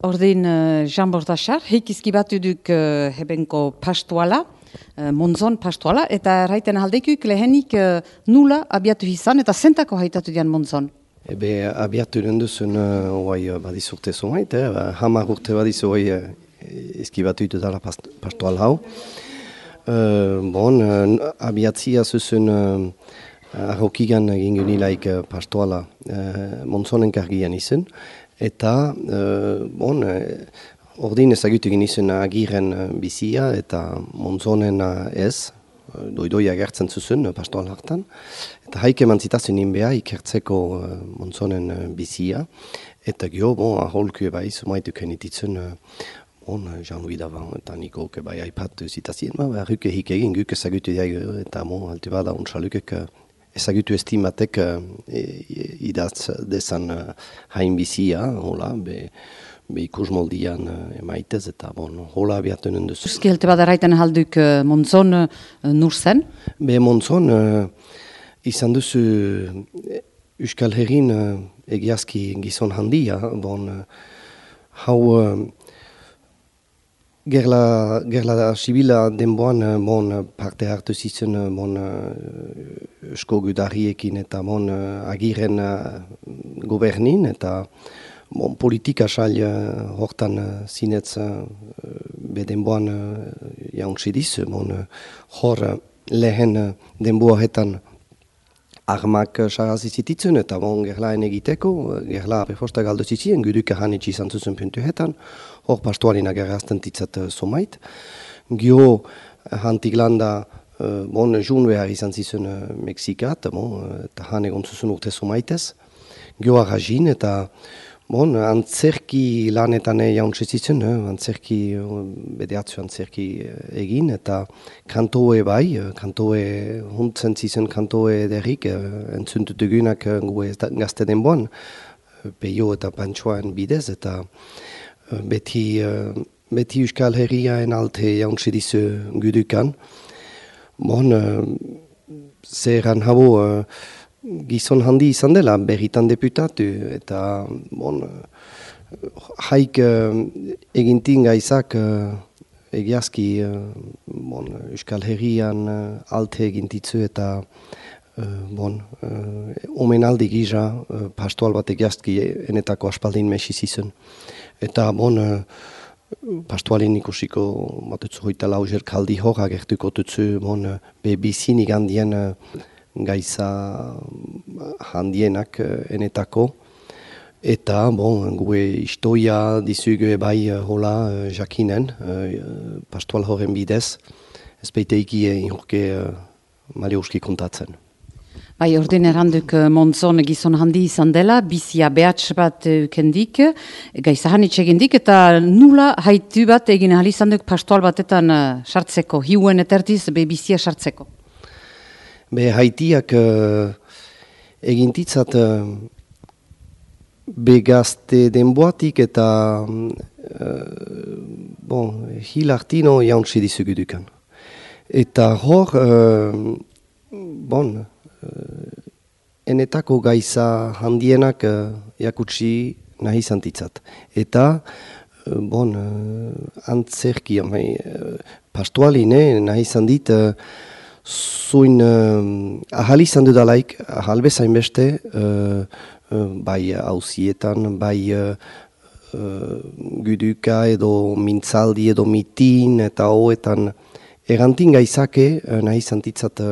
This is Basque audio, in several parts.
Ordin Jean Bordachar, heik izkibatu duk hebenko pastuala, Monzon pastuala, eta raiten aldeikuik lehenik nula abiatu izan, eta zentako haitatu dian Monzon. Abiatu denduzun badizurte zumait, hamar urte badizu izkibatu dala pastual hau. Abiatzia zuzun arrokigan egin gunilaik pastuala Monzonen kargian izan, eta ordin ezagutu egin izan agiren bizia eta Monzonen ez, doidoia gertzen zuzun pastual hartan, eta haik eman zitazun inbea ikertzeko Monzonen bizia, eta gio, aholku bai, sumaituk enititzen Jean-Louis Davant eta Niko bai aipat zitazien, ruke hik egin guk ezagutu diag, eta alti bada untsalukek ezagutu estimatek idaz dezan hain bizia, hola, be ikus moldian emaitez, eta hola abiatu nenduz. Euski helte bada raiten halduk Monzon nur zen? Monzon izan duzu Euskal Herrin egiazki gizon handia, hau Gerla sibila denboan parte hartu zizen eusko gudarriekin eta agiren gobernin eta politika sail hortan zinetz denboan jauntzidiz. Hor lehen denboaretan armak sarazizititzen eta gerlaen egiteko, gerla prefosta galdo zizien, guduk hanitsi izan zuzen puntuetan, hor pastualina gerrazten titzat somait. Gio hantik landa jun behar izan zizen Mexikat, eta han egon zuzen urte somaitez. Gio arrazin eta antzerki lanetan jauntze zizen, bedeatzu antzerki egin, eta kantoe bai, kantoe huntzen zizen kantoe derrik, entzuntutugunak gue gazte denboan, peio eta pantsoan bidez, eta beti Euskal Herriaen alte jauntze dizu gudukan. Zeran habo gizon handi izan dela, berritan deputatu, eta haik egintin gaizak egiazki Euskal Herrian alte egintitzu eta omenaldi gisa pastual bat egiazki enetako aspaldin mesiz izan. Eta pastualin ikusiko batutzu hoita lauzer kaldi hor agertuko tutzu bizinik handien gaiza handienak enetako. Eta, gue istoia dizugu bai hola jakinen, pastual horren bidez, ez beiteiki inurke maliuski kontatzen. Bai, ordin erranduk Monzon gizon handi izan dela, bizia behatz bat kendik, gaiza hanitz egindik, eta nula haitu bat egin ahal izan duk pastual batetan sartzeko, hiuen etertiz bizia sartzeko. Haitiak egintitzat begazte denboatik eta hilartino jauntzi dizugudukan. Eta hor, enetako gaiza handienak jakutsi nahi zantitzat. Eta, antzerki, pastualine nahi zandit, zuin ahal izan dudalaik, ahal bezain beste, bai hausietan, bai guduka edo mintzaldi edo mitin eta hoetan erantin gaizake nahi zantitzat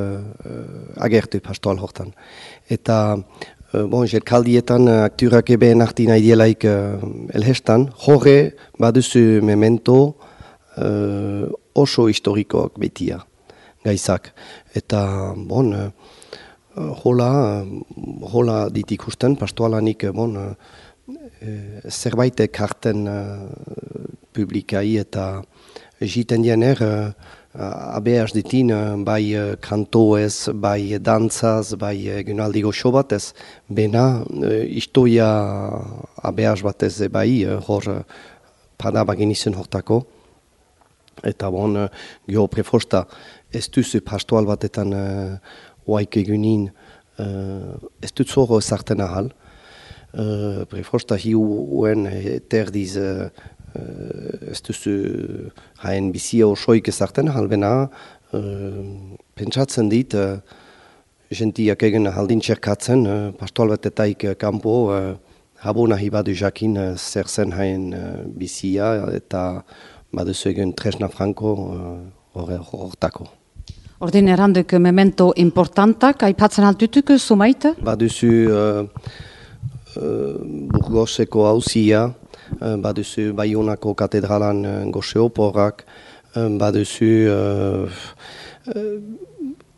agertu pastual hortan. Eta jelkaldietan akturak ebeen arti nahi dielaik elhestan, horre baduzu memento oso historikoak betia gaizak. Eta hola ditikusten pastualanik zerbait karten publikai eta jiten diener abeaz ditin bai kantoez, bai dantzaz, bai egunaldi goxo batez, bena istoia abeaz batez bai hor padabagin izan hortako. Eta gio prefosta ez duzu pastual batetan oaik egunin ez dut zoro zarten ahal. prefosta hiuen terdiz ez duzu hain bizia osoik ezarten, halbena pentsatzen dit gentiak egin haldin txerkatzen, pastoal batetaik kanpo habo nahi badu jakin zer zen hain bizia eta baduzu egin tresna franko hortako. Ordin erranduk memento importantak, aipatzen altutuk zumaita? Baduzu Burgoseko hauzia, baduzu Baionako katedralan goxe oporrak, baduzu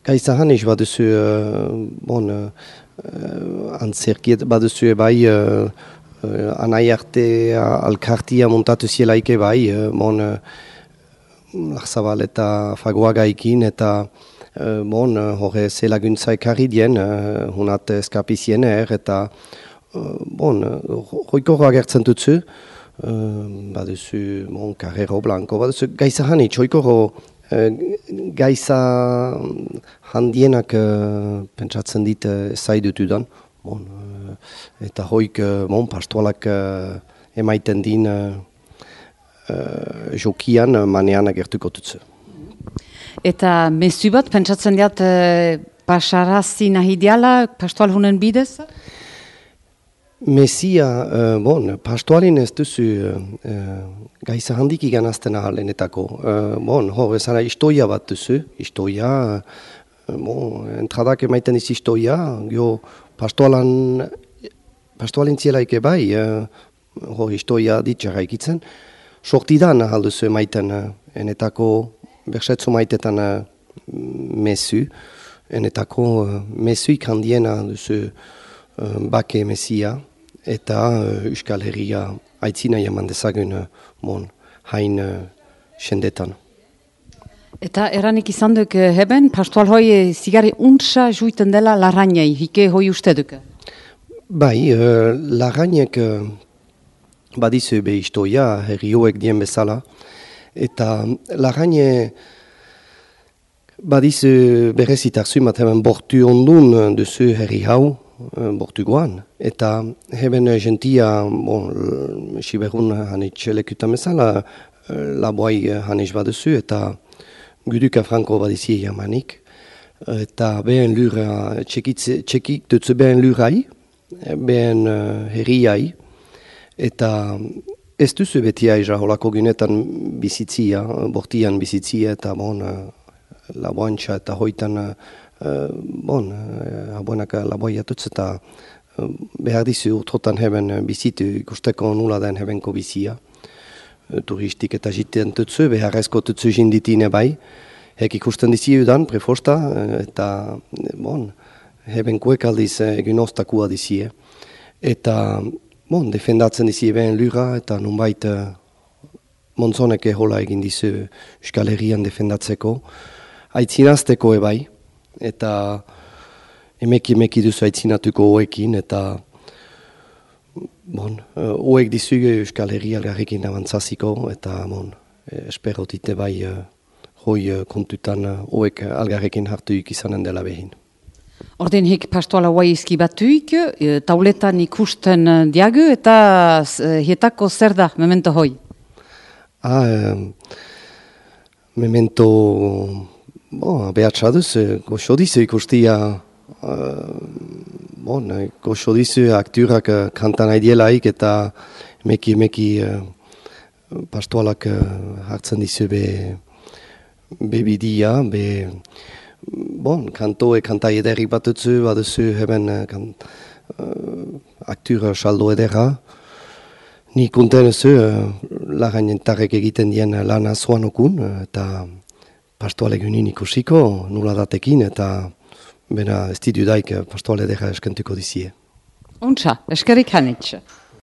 gaizahan is baduzu antzerkiet, baduzu bai anai arte alkartia montatu zielaike bai, Larzabal eta Fagoagaikin eta horre ze laguntza ekarri dien, hunat eskapizien eta hoikoro agertzen dutzu, baduzu Carrero Blanco, baduzu gaiza hanitz, hoikoro gaiza handienak pentsatzen dit zaidutudan, eta hoik pastoalak emaiten din jokian manean agertuko dutzu. Eta mezu bat, pentsatzen diat pasarazi nahi diala pastoal hunen bidez? Mesia, pastoalin ez duzu gaiza handik iganazten ahalenetako. Hor, ezara istoia bat duzu, istoia, entradak emaiten iz istoia, pastoalin zielaike bai, hor istoia ditxarra ikitzen, sortidan ahalduzu emaiten enetako bersetzu maitetan mesu, enetako mesuik handiena duzu bake mesia, eta Euskal Herria aitzina jaman dezagun hain sendetan. Eta eranik izan duk heben, pastoal hoi zigari untsa juiten dela larrainei, hike hoi uste duk? Bai, larrainek badizu be istoia, herrioek dien bezala, eta larraine badizu berezitarzu, bat hemen bortu ondun duzu herri hau, bortugoan, eta heben gentia, siberun hanitz lekutan bezala, laboai hanitz baduzu, eta guduka franko badizi jamanik, eta behen lura, txekik dutzu behen lurai, behen herriai, eta ez duzu beti aiza holako gunetan bizitzia, bortian bizitzia, eta laboantxa eta hoitan, abuenak laboi atutz, eta behar dizu urtrotan heben bizitu ikusteko nula den hebenko bizia. Turistik eta jiten tutzu, beharrezko tutzu jinditine bai, hek ikusten dizi udan, prefosta, eta hebenkoek aldiz egin ostakua dizie. Eta defendatzen dizi eben lura, eta nunbait Monzoneke hola egin dizu Euskal Herrian defendatzeko, aitzinazteko ebai, eta emeki duzu aitzinatuko hoekin, eta hoek dizu Euskal Herri algarrekin avantzaziko, eta esperotite bai hoi kontutan hoek algarrekin hartuik izanen dela behin. Ordin hik pastoala guai izki batuik, tauletan ikusten diagu, eta hietako zer da, memento hoi? Memento, behatxaduz, goxo dizu ikustia, goxo dizu akturak kantan aidielaik, eta meki pastoalak hartzen dizu bebidia, kantai ederrik batutzu, baduzu heben aktura saldo edera. Nik unten ezu, larrainentarek egiten dien lana zoan okun, eta pastoalek unin ikusiko, nula datekin, eta bena ez didudaik pastoale edera eskentuko dizie. Untsa, eskerik hanitz.